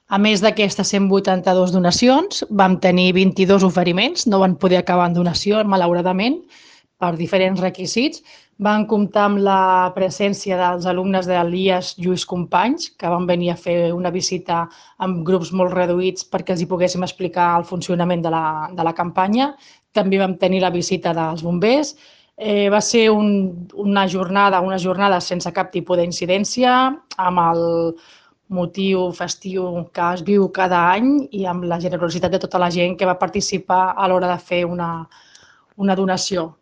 A més d'aquestes 182 donacions, vam tenir 22 oferiments, no van poder acabar en donació, malauradament, per diferents requisits. Van comptar amb la presència dels alumnes de l'IAS Lluís Companys, que van venir a fer una visita amb grups molt reduïts perquè els hi poguéssim explicar el funcionament de la campanya. També vam tenir la visita dels bombers. Va ser una jornada sense cap tipus d'incidència, amb el motiu festiu que es viu cada any i amb la generositat de tota la gent que va participar a l'hora de fer una donació.